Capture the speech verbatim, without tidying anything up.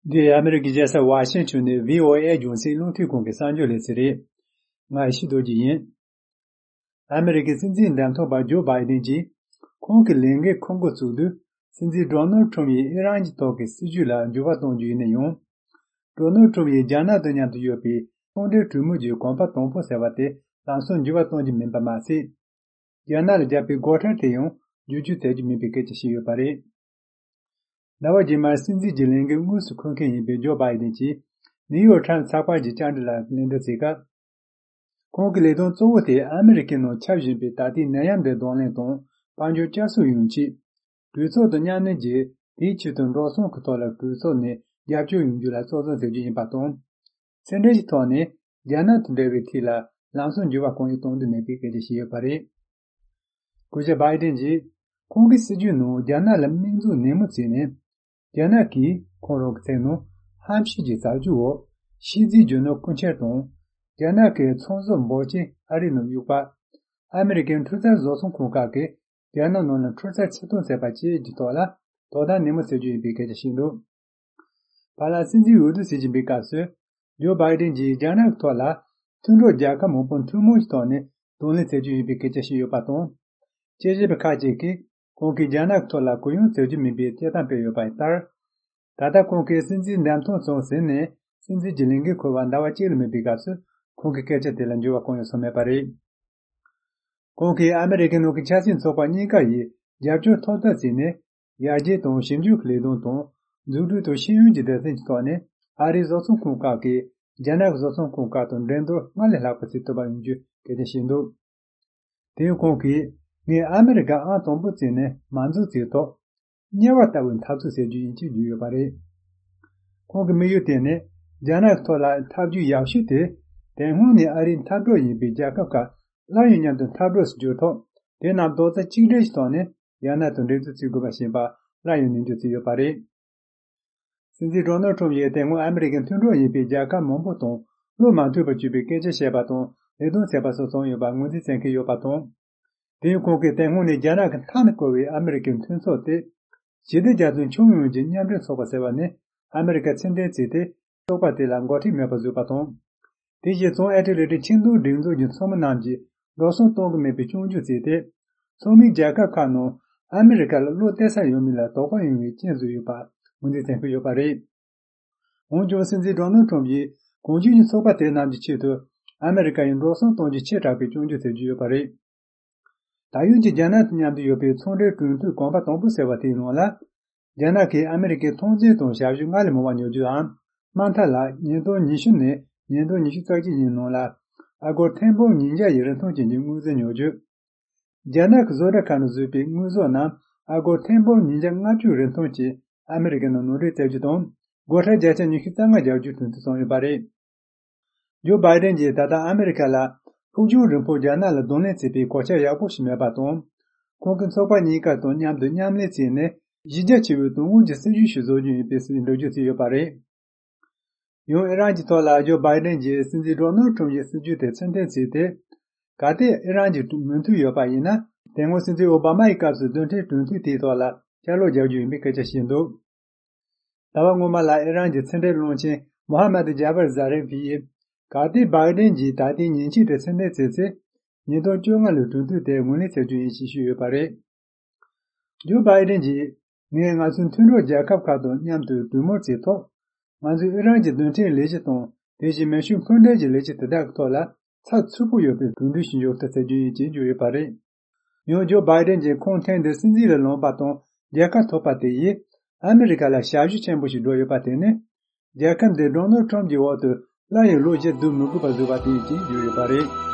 འདི་ཨ་མི་རི་ཀའི་རྒྱལ་ས་ཝ་ཤིང་ཊོན་ནས་བྷི་ཨོ་ཨེ་རྒྱང་སྲིང་རླུང་འཕྲིན་ཁང་གི་གསར་འགྱུར་ལེ་ཚན་རེད། ང་ཡེ་ཤེས་རྡོ་རྗེ་ཡིན། ཨ་མི་རི་ཀའི་སྲིད་འཛིན་འདེམས་ཐོན་པ་ཇོ་བྷའི་ཌེན་གྱིས། ཁོང་གི་ལས་འགན་འཁུར་འགོ་བཙུགས་དུས། སྲིད་འཛིན་ཌོ་ནལ་ཊམ་ཡིས་ཨི་རན་གྱི་ཐོག་གི་སྲིད་ཇུས་ལ་འགྱུར་བ་གཏོང་རྒྱུ་ཡིན་ན་ཡང་། ཌོ་ནལ་ཊམ་ཡིས་རྒྱ་ནག་དང་མཉམ་དུ་ཡོད་པའི་ཚོང་འབྲེལ་གྲོས་མོལ་གྱི་གོམ་པ་དང་པོ་ཟེར་བ་དེ་ལམ་སང་འགྱུར་བ་གཏོང་རྒྱུ་མིན་པ་མ་ཟད། རྒྱ་ནག་ལ་བརྒྱབ་པའི་སྒོ་ཁྲལ་དེ་ཡང་བསྒྱུར་བཅོས་བྱ་རྒྱུ་མིན་པའི་སྐད་ཆ་བཤད་ཡོད་པ་རེད། ཟླ་བ་རྗེས་མར་སྲིད་འཛིན་གྱི་ལས་འགན་དངོས་སུ་འཁུར་མཁན་ཡིན་པའི་ཇོ་བྷའི་ཌེན་གྱིས་ནིའུ་ཡོག་ཊའིམ་ཚགས་པར་གྱི་བཅར་འདྲི་ལ་ལན་འདེབས་བྱེད་སྐབས། ཁོང་གི་ལས་དོན་གཙོ་བོ་དེ་ཨ་མི་རི་ཀའི་ནང་ཁྱབ་བཞིན་པའི་ད་ལྟའི་ནད་ཡམས་འདི་གདོང་ལེན་དང་དཔལ་འབྱོར་བསྐྱར་གསོ་ཡོང་ཆེད། གྲོས་ཚོགས་དང་མཉམ་ལས་ཀྱིས་དེའི་ཆེད་དུ་འགྲོ་སོང་གི་ཐོག་ལ་གྲོས་ཚོགས་ནས་རྒྱབ་སྐྱོར་ཡོང་རྒྱུ་ལ་གཙོ་བཟུང་བྱ་རྒྱུ་ཡིན་པ་དང་། ཕྱི་འབྲེལ་གྱི་ཐོག་ནས་རྒྱ་ནག་དང་འབྲེལ་བའི་ཐད་ལ་ལམ་སང་འགྱུར་བ་གང་ཡང་གཏོང་འདོད་མེད་པའི་སྐད་ཆ་བཤད་ཡོད་པ་རེད། སྐུ་ཞབས་བྷའི་ཌེན་གྱིས་ཁོང་གི་སྲིད་ཇུས་ནང་རྒྱ་ནག་ལ་དམིགས་འཛུགས་ནན་མོ་བྱས་ནས། རྒྱ་ནག་གིས་ཁོང་རང་གི་མཚན་ནང་ཧམ་བཤད་ཀྱི་རྩ་རྒྱུ་འོག་ཤིས་ཙི་རྒྱུ་ནོར་རྐུ་འཁྱེར་དང་། རྒྱ་ནག་གི་ཚོང་ཟོག་འབོར་ཆེན་ཨ་རིའི་ནང་གཡུགས་པ། ཨ་མི་རི་ཀའི་འཕྲུལ་རྩལ་བཟོ་ཚོང་ཁང་ཁག་གིས་རྒྱ་ནག་ནང་ལ་འཕྲུལ་རྩལ་ཕྱིར་གཏོང་བྱས་པ་བཅས་ཀྱི་ཐོག་ལ་དོ་དམ་ནན་མོ་བྱེད་རྒྱུ་ཡིན་པའི་སྐད་ཆ་བཤད་འདུག་བར་ལ་སྲིད་འཛིན་འོས་བསྡུ་བྱེད་བཞིན་པའི་སྐབས་སུ། ཇོ་བྷའི་ཌེན་གྱིས་རྒྱ་ནག་གི་ཐོག་ལ་མཐུན་གྲོགས་རྒྱལ་ཁབ་མང་པོ་ཐུན་མོང་གི་ཐོག་ནས་གདོང་ལེན་བྱེད་རྒྱུ་ཡིན་པའི་སྐད་ཆ་བཤད་ཡོད་པ་དང་། དཔྱད་ཞིབ་པ་ཁག་ཅིག་གིས་ཁོང་གིས་རྒྱ་ནག་གི་ཐོག་ལ་གུ་ཡངས་བྱེད་རྒྱུ་མིན་པའི་དཔྱད་གཏམ་སྤེལ་ཡོད་པ་ལྟར། ད་ལྟ་ཁོང་གིས་སྲིད་འཛིན་འདེམས་ཐོན་སོང་ཟིན་ནས་སྲིད་འཛིན་གྱི་ལས་འགན་འཁུར་བར་ཟླ་བ་གཅིག་ལས་མེད་པའི་སྐབས་སུ་ཁོང་གི་སྐད་ཆ་དེ་ལ་འགྱུར་བ་གང་ཡང་སོང་མེད་པ་རེད། ཁོང་གིས་ཨ་མི་རི་ཀའི་ནང་གི་ཆབ་སྲིད་ཚོགས་པ་གཉིས་ཀ་ཡིས་རྒྱབ་སྐྱོར་ཐོབ་ཐབས་བྱས་ནས། ཡར་རྒྱས་དང་ཞིབ་འཇུག་གི་ལས་དོན་དང་། འཛུགས་སྐྲུན་དང་ཤེས་ཡོན་གྱི་སྡེ་ཚན་གྱི་ཐོག་ནས་ཨ་རིའི་བཟོ་ཚོང་ཁང་ཁག་གིས་རྒྱ་ནག་གི་བཟོ་ཚོང་ཁང་ཁག་དང་འགྲན་བསྡུར་སྔར་ལས་ལྷག་པ་བྱེད་ཐུབ་པ་ཡོང་རྒྱུའི་སྐད་ཆ་བཤད་འདུག་དེ་ཡང་ཁོང་གིས། ངས་ཨ་མི་རི་ཀ་ཨང་དང་པོ་བརྩིས་ནས་མ་འཛུགས་བྱས་ཐོག་དམྱལ་བ་ལྟ་བུའི་འཐབ་རྩོད་བྱེད་རྒྱུ་ཡིན་ཅེས་བརྗོད་ཡོད་པ་རེད། ཁོང་གི་དམིགས་ཡུལ་དེ་ནི་རྒྱ་ནག་གི་ཐོག་ལ་འཐབ་ཇུས་ཡག་ཤོས་དེ། དེ་སྔོན་ནས་ཨ་རིའི་འཐབ་གྲོགས་ཡིན་པའི་རྒྱལ་ཁབ་ཁག་སླར་ཡང་མཉམ་དུ་འཐབ་གྲོགས་སུ་གྱུར་ཐོག་དེ་རྣམས་རྡོག་རྩ་གཅིག་སྒྲིལ་གྱི་ཐོག་ནས་རྒྱ་ནག་དང་འགྲན་རྩོད་བྱེད་དགོས་པ་ཞེས་པ་སླར་ཡང་ནན་བརྗོད་བྱས་ཡོད་པ་རེད། སྲིད་འཛིན་ཌོ་ནལ་ཊམ་ཡིས་དེ་སྔོན་ཨ་མི་རི་ཀའི་མཐུན་གྲོགས་ཡིན་པའི་རྒྱལ་ཁབ་མང་པོ་དང་བློ་མ་མཐུན་པར་གྱུར་པའི་སྐད་ཆ་བཤད་པ་དང་ལས་དོན་བྱས་པ་སོགས་བྱུང་ཡོད་པར་ངོས་འཛིན་བྱེད་མཁན་ཡོད་པ་དང་། དེ་ཡང་ཁོང་གིས་དེ་སྔོན་ནས་རྒྱ་ནག་གི་མཐའ་ནས་བསྐོར་བའི་ཨ་མི་རི་ཀའི་མཐུན་ཚོགས་ཏེ། ཞི་བདེ་རྒྱ་མཚོའི་ཁྱོན་ཡོངས་ཀྱི་མཉམ་འབྲེལ་ཚོགས་པ་ཟེར་བ་ནི་ཨ་མི་རི་ཀ་ཕྱིར་འཐེན་བྱས་ཏེ། ཚོགས་པ་དེ་ལ་འགོ་ཁྲིད་མེད་པར་བཟོས་པ་དང་། དེ་བཞིན་བྱང་ཨེ་ཊ་ལན་ཊིག་ཆིངས་འཛུགས་སྒྲིག་འཛུགས་ཀྱི་ཚོགས་མི་རྣམས་ཀྱིས་འགྲོ་སོང་གཏོང་གི་མེད་པའི་སྐྱོན་བརྗོད་བྱས་ཏེ། ཚོགས་མིའི་རྒྱལ་ཁབ་ཁག་ནང་ཨ་མི་རི་ཀ་ལ་བློ་གཏད་ས་ཡོད་མིན་ལ་དོགས་པ་ཡོང་བའི་རྐྱེན་བཟོས་ཡོད་པ་ངོས་འཛིན་བྱེད་ཀྱི་ཡོད་པ་རེད། འོན་ཀྱང་སྲིད་འཛིན་ཌོ་ནལ་ཊམ་ཡིས་གོང་ཞུས་ཀྱི་ཚོགས་པ་དེ་རྣམས་ཀྱི་ཆེད་དུ་ཨ་མི་རི་ཀ་ཡི་འགྲོ་སོང་གཏོང་རྒྱུ་ཆེ་དྲགས་པའི་སྐྱོན་བརྗོད་བྱེད་ཀྱི་ཡོད་པ་རེད། ད་ཡོད་ཀྱི་རྒྱ་ནག་དང་མཉམ་དུ་ཡོད་པའི་ཚོང་འབྲེལ་གྲོས་མཐུན་གོམ་པ་དང་པོ་ཟེར་བ་དེའི་ནང་ལ། རྒྱ་ནག་གིས་ཨ་མི་རི་ཀའི་ཐོན་རྫས་དང་ཞབས་ཞུ་སྔར་ལས་མང་བ་ཉོ་རྒྱུའམ། དམའ་མཐའ་ལ་ཉིས་སྟོང་ཉི་ཤུ་ནས་ཉིས་སྟོང་ཉི་ཤུ་རྩ་གཅིག་ཡི་ནང་ལ་ཨ་སྒོར་ཐེར་འབུམ་ཉིས་བརྒྱ་ཡི་རིན་ཐང་ཅན་གྱི་དངོས་རྫས་ཉོ་རྒྱུ། རྒྱ་ནག་གི་བཟོ་གྲྭ་ཁག་ནང་བཟོས་པའི་དངོས་ཟོག་རྣམས་ཨ་སྒོར་ཐེར་འབུམ་ཉིས་བརྒྱ་ལྔ་བཅུ་རིན་ཐང་གིས་ཨ་མི་རི་ཀའི་ནང་ནང་འདྲེན་བྱ་རྒྱུ་དང་། སྒོ་ཁྲལ་བརྒྱ་ཆ་ཉི་ཤུ་རྩ་ལྔ་རྒྱག་རྒྱུའི་གྲོས་མཐུན་བྱུང་ཡོད་པ་རེད། ཇོ་བྷའི་ཌེན་གྱིས་ད་ལྟ་ཨ་མི་རི་ཀ་ལ་ཕུགས་རྒྱང་རིང་པོར་རྒྱ་ནག་ལ་གདོང་ལེན་བྱེད་པའི་གོ་ཆ་ཡག་པོ་ཞིག་མེད་པ་དང་། ཁོང་གིས་ཚོགས་པ་གཉིས་ཀ་དང་མཉམ་དུ་མཉམ་ལས་བྱས་ནས་གཞི་རྒྱ་ཆེ་བའི་དོན་དངོས་ཀྱི་སྲིད་ཇུས་ཤིག་བཟོ་རྒྱུ་ཡིན་པའི་སྲིད་འགྲེལ་བརྗོད་བྱས་ཡོད་པ་རེད། ཡང་ཨི་རན་གྱི་ཐོག་ལ་ཇོ་བྷའི་ཌེན་གྱིས་སྲིད་འཛིན་ཌོ་ནལ་ཊམ་ཡི་སྲིད་ཇུས་དེ་ཕྱིར་འཐེན་བྱས་ཏེ། གལ་ཏེ་ཨི་རན་གྱི་མོས་མཐུན་ཡོད་པ་ཡིན་ན། དེ་སྔོན་སྲིད་འཛིན་ཨོ་བྷ་མ་ཡི་སྐབས་སུ་རྡུལ་ཕྲན་གྲོས་མཐུན་དེའི་ཐོག་ལ་བསྐྱར་ལོག་རྒྱག་རྒྱུ་ཡིན་པའི་སྐད་ཆ་བཤད་འདུག་ཟླ་བ་སྔོན་མ་ལ་ཨི་རན་གྱི་ཕྱི་འབྲེལ་བློན་ཆེན་མོ་ཧ་མད་ཇཱ་བར་ཛཱ་རེ་ཕི་ཡིས། གལ་ཏེ་བྷའི་ཌེན་གྱིས་ད་ལྟའི་ཉེས་ཆད་དེ་ཕྱིར་འཐེན་བྱས་ཚེ། ཉིས་སྟོང་བཅོ་ལྔ་ལོའི་གྲོས་མཐུན་དེ་ངོས་ལེན་བྱ་རྒྱུ་ཡིན་ཞེས་ཞུས་ཡོད་པ་རེད། ཇོ་བྷའི་ཌེན་གྱིས། ངས་ང་ཚོའི་མཐུན་གྲོགས་རྒྱལ་ཁབ་ཁག་དང་མཉམ་དུ་གྲོས་མོལ་བྱས་ཐོག་ང་ཚོས་ཨི་རན་གྱི་རྡུལ་ཕྲན་ལས་གཞི་དང་། དེ་བཞིན་མེ་ཤུགས་འཕུར་མདེལ་གྱི་ལས་གཞི་དེ་དག་གི་ཐོག་ལ་ཚགས་ཚུད་པོ་ཡོད་པའི་གྲོས་མཐུན་ཞིག་འཇོག་ཐབས་བྱ་རྒྱུ་ཡིན་ཅེས་བརྗོད་ཡོད་པ་རེད། ཡང་ཇོ་བྷའི་ཌེན་གྱིས་ཁོང་ཐེངས་འདིར་སྲིད་འཛིན་ལ་ལངས་པ་དང་རྒྱལ་ཁ་ཐོབ་པ་དེ་ཡིས་ཨ་མི་རི་ཀ་ལ་ཞབས་ཞུ་ཆེན་པོ་ཞིག་བསྒྲུབས་ཡོད་པ་དེ་ནི། རྒྱལ་ཁབ་འདི་ཌོ་ནལ་ཊམ་གྱི་འོག་ཏུ་སླར་ཡང་ལོ་བཞི་སྡོད་མི་དགོས་པ་བཟོས་པ་དེ་ཡིན་ཅེས་བརྗོད་ཡོད་པ་རེད།